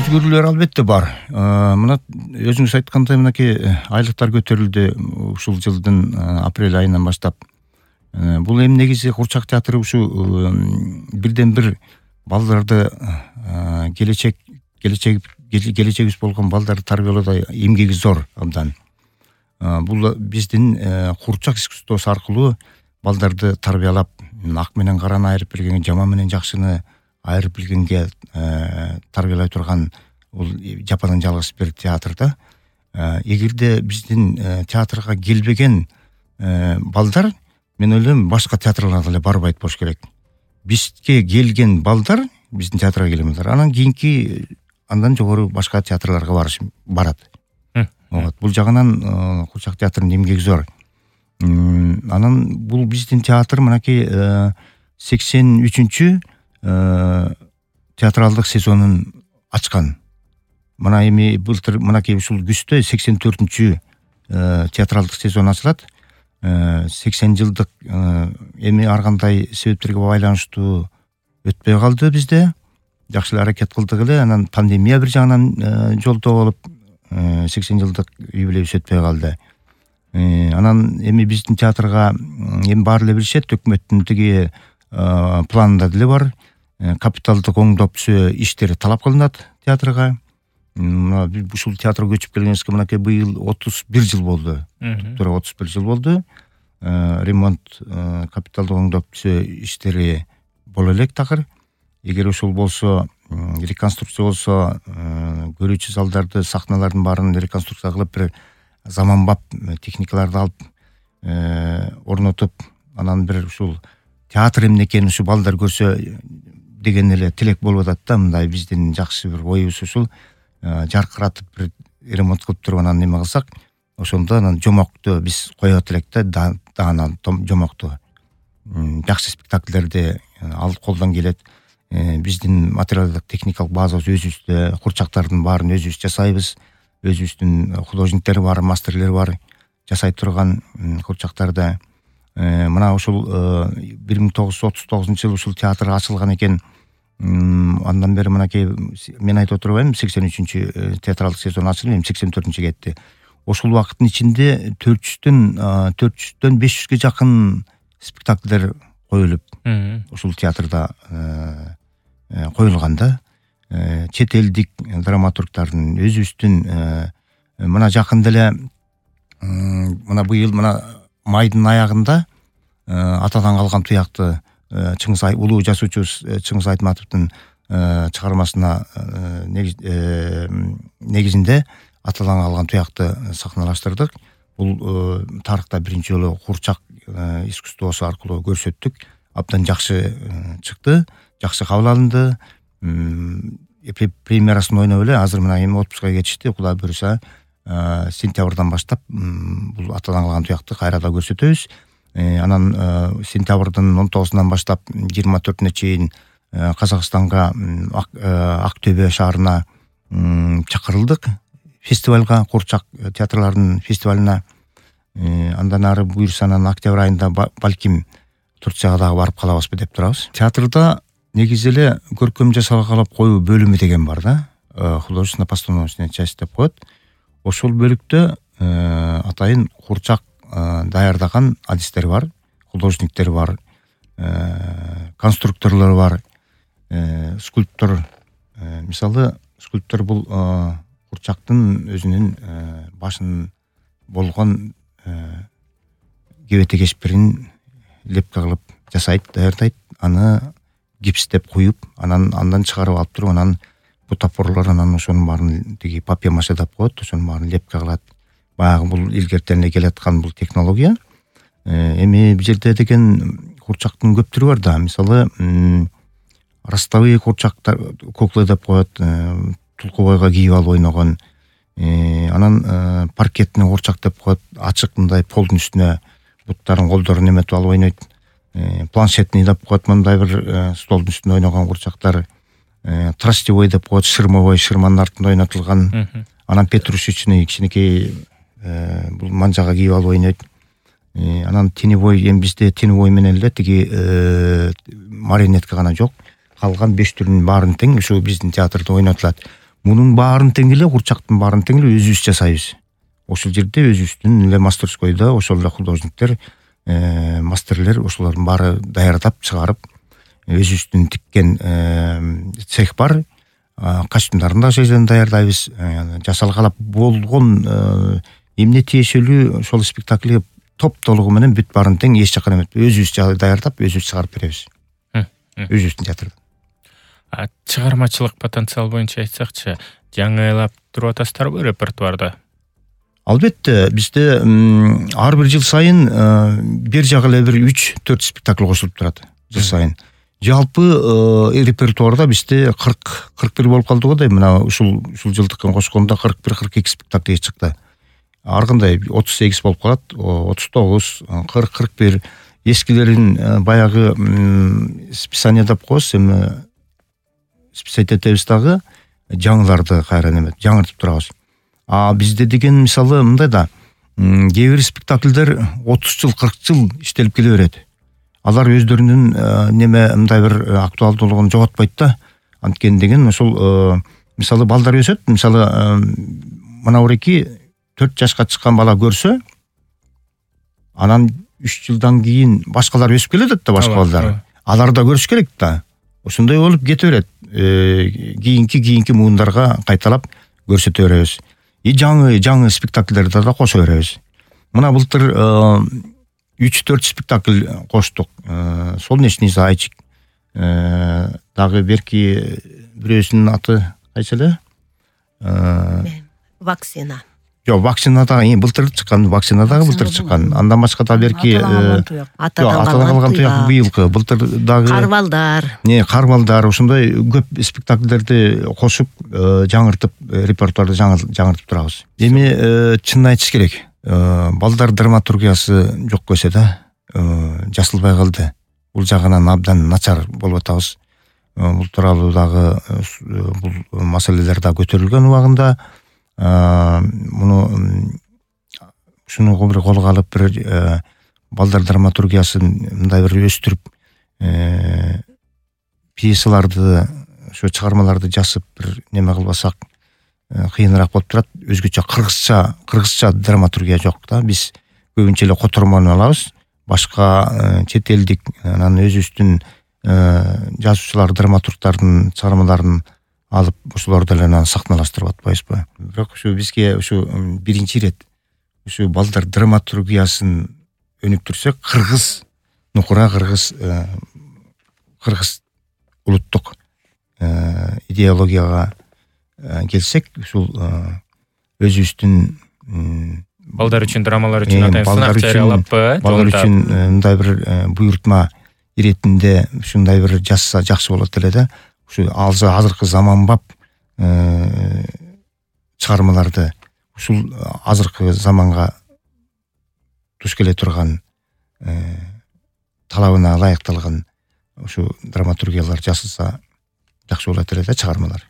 өзгөрүүлөр албетте бар. Мына өзүңүз айткандай мынакей айлыктар көтөрүлдү ушул жылдын апрель айынан баштап. Бул эми негизи Курчак театры ушу бирден бир балдарды келечегибиз болгон балдарды тарбиялоодо эмгеги зор абдан. Бул биздин Курчак искусствосу аркылуу балдарды тарбиялап, ак менен караны айырып билгенге, жаман менен жакшыны айырып билгенге тарбиялай турган бул жападан жалгыз бир театр да. Эгерде биздин театрга келбеген балдар, мен ойлойм, башка театрларга эле барбайт болуш керек. Бизге келген балдар, биздин театрга келген балдар, анан кийинки андан жогору башка театрларга барат. Бул жагынан Курчак театрынын эмгеги зор. Анан бул биздин театр мынакей 83-чү театралдык сезонун ачкан. Мына эми былтыр мынакей ушул күздө 84-чү театралдык сезон ачылат. 80 жылдык эми ар кандай себептерге байланыштуу өтпөй калды бизде. Жакшы эле аракет кылдык эле, анан пандемия бир жагынан жолдо болуп 80 жылдык юбилейибиз өтпөй калды. Анан эми биздин театрга эми баары эле билишет, өкмөттүн тиги планында деле бар. Капиталдык оңдоп түзөө иштери талап кылынат театрга. Ушул театрга көчүп келгенибизге мынакей быйыл 31 жыл болду. Тура 31 жыл болду. Ремонт, капиталдык оңдоп түзөө иштери боло элек такыр. Эгер ошол болсо, реконструкция болсо, көрүүчү залдарды, сахналардын баарын реконструкция кылып, бир заманбап техникаларды алып орнотуп, анан бир ушул театр эмне экенин ушу балдар көрсө деген эле тилек болуп атат да. Мындай биздин жакшы бир оюбуз ушул жаркыратып бир ремонт кылып туруп анан неме кылсак, ошондо анан жомокту биз коёт элек да, даанан жомокту. Жакшы спектакльдерди ал колдон келет. Биздин материалдык техникалык базабыз өзүбүздө, курчактардын баарын өзүбүз жасайбыз. Өзүбүздүн художниктер бар, мастерлер бар, жасай турган курчактарда. Мына ушул 1939-жылы ушул театр ачылган экен. Андан бери мынакей мен айтып отурбаймынбы, 83-чү театралдык сезон ачылып, 84-чү кетти. Ошол убакыттын ичинде 400дөн 500ге жакын спектакльдер коюлуп, ушул театрда коюлган да. Чет элдик драматургдардын, өзүбүздүн мына жакында эле мына быйыл майдын аягында атадан калган туякты улуу жазуучубуз Чыңгыз Айтматовдун чыгармасына негизинде атадан калган туякты сахналаштырдык. Бул тарыхта биринчи жолу Курчак искусствосу аркылуу көрсөттүк. Абдан жакшы чыкты, жакшы кабыл алынды. Премьерасын ойноп эле азыр мына эми отпускага кетишти. Кудай буюрса, сентябрдан баштап бул атадан калган туякты кайрада көрсөтөбүз. Анан сентябрдын 19-унан баштап 24-үнө чейин Казакстанга, Ак Төбө шаарына чакырылдык фестивалга, Курчак театрларынын фестивалына. Андан ары буюрса, анан октябрь айында балким Турцияга дагы барып калабызбы деп турабыз. Театрда негизи эле көркөм жасалгалап коюу бөлүмү деген бар да. Художественно-постановочная часть деп коет. Ошол бөлүктө атайын Курчак даярдаган адистер бар, художниктер бар, конструкторлор бар, скульптор. Мисалы, скульптор бул Курчактын өзүнүн башын болгон кебете кешпирин лепка кылып жасайт, даярдайт, аны гипстеп куюп, андан чыгарып алып туруп, анан бутафорлор, анан ошонун баарын тиги папье-маше деп коет, ошонун баарын лепка кылат. Баягы бул илгертен эле келаткан бул технология. Эми бул жерде деген Курчактын көп түрү бар да. Мисалы, ростовый курчактар, куклы деп коет, тулкубойго кийип алып ойногон. Анан паркетный курчак деп коет, ачык мындай полдун үстүнө буттарын, колдорун эметип алып ойнойт. Планшетный деп коет, мындай бир столдун үстүндө ойногон курчактар. Тростевой деп коет, шырмовой, шырманын артында ойнотулган. Анан петрушечный кичинекей бул манжага кийип алып ойнойт. Анан теневой, эми бизде теневой менен эле тиги марионетка гана жок. Калган 5 түрүнүн баарын тең ушу биздин театрда ойнотулат. Мунун баарын тең эле, курчактын баарын тең эле өзүбүз жасайбыз. Ошол жерде өзүбүздүн эле мастерскойдо ошол эле художниктер, мастерлер ошолордун баары даярдап чыгарып, өзүбүздүн тиккен цех бар. Костюмдарын да ошол жерден даярдайбыз. Жасалгалап болгон эмне тиешелүү ошол спектакльге топтолугу менен бүт баарын тең эч жакка эметпей өзүбүз даярдап, өзүбүз чыгарып беребиз. Өзүбүздүн театрдан. Чыгармачылык потенциал боюнча айтсакчы, жаңылап туруп атасыздарбы репертуарда? Албетте, бизде ар бир жыл сайын бир жагы эле бир 3-4 спектакль кошулуп турат жыл сайын. Жалпы репертуарда бизде 40-41 болуп калды го дейм. Мына ушул жылдыкын кошкондо 41-42 спектакль чыкты. Ар кандай 38 болуп калат, 39, 40-41. Эскилерин баягы списание деп коебуз, эми списать этебиз дагы, жаңыларды кайра неметип, жаңыртып турабыз. Бизде деген мисалы мындай да, кээ бир спектакльдер 30 жыл, 40 жыл иштелип келе берет. Алар өздөрүнүн мындай бир актуалдуулугун жоготпойт да. Анткени деген ошол мисалы балдар өсөт, мисалы мына уреки 4 жашка чыккан бала көрсө, анан 3 жылдан кийин башкалар өсүп келет да, башка балдар. Алар да көрүш керек да. Ошондой болуп кете берет. Кийинки муундарга кайталап көрсөтө беребиз. Жаңы спектакльдерди да кошо беребиз. Мына былтыр 3-4 спектакль коштук. Солнечный зайчик. Дагы берки бирөөсүнүн аты кайсы эле? Вакцина. Жок, вакцина дагы былтыр чыккан, вакцина дагы былтыр чыккан. Андан башка да берки атадан калган туяк быйылкы, былтыр дагы Карбалдар, ошондой көп спектакльдерди кошуп, жаңыртып, репертуарды жаңыртып турабыз. Эми чынын айтыш керек. Балдар драматургиясы жок көсө да, жасалбай калды. Бул жагынан абдан начар болуп атабыз. Бул тууралуу дагы бул маселелер да көтөрүлгөн убагында. Ушуну бир колго алып, бир балдар драматургиясын мындай бир өстүрүп, пьесаларды, ошо чыгармаларды жазып бир неме кылбасак кыйыныраак болуп турат. Өзгөчө кыргызча драматургия жок да. Биз көбүнчө эле котормону алабыз. Башка чет элдик, анан өзүбүздүн жазуучулар, драматургдардын чыгармаларын алып, ошолорду эле сахналаштырып атпайбызбы? Бирок ушу бизге ушу биринчи ирет ушу балдар драматургиясын өнүктүрсөк, кыргыз нукура, кыргыз улуттук идеологияга келсек, ушул өзүбүздүн балдар үчүн, драмалар үчүн атайын сынак жарыялаппы? Балдар үчүн мындай бир буйртма иретинде ушундай бир жазса жакшы болот эле да. Ушу азыркы заманбап чыгармаларды, ушул азыркы заманга туш келе турган талабына ылайыкталган ушу драматургиялар жасалса жакшы болот эле да, чыгармалар.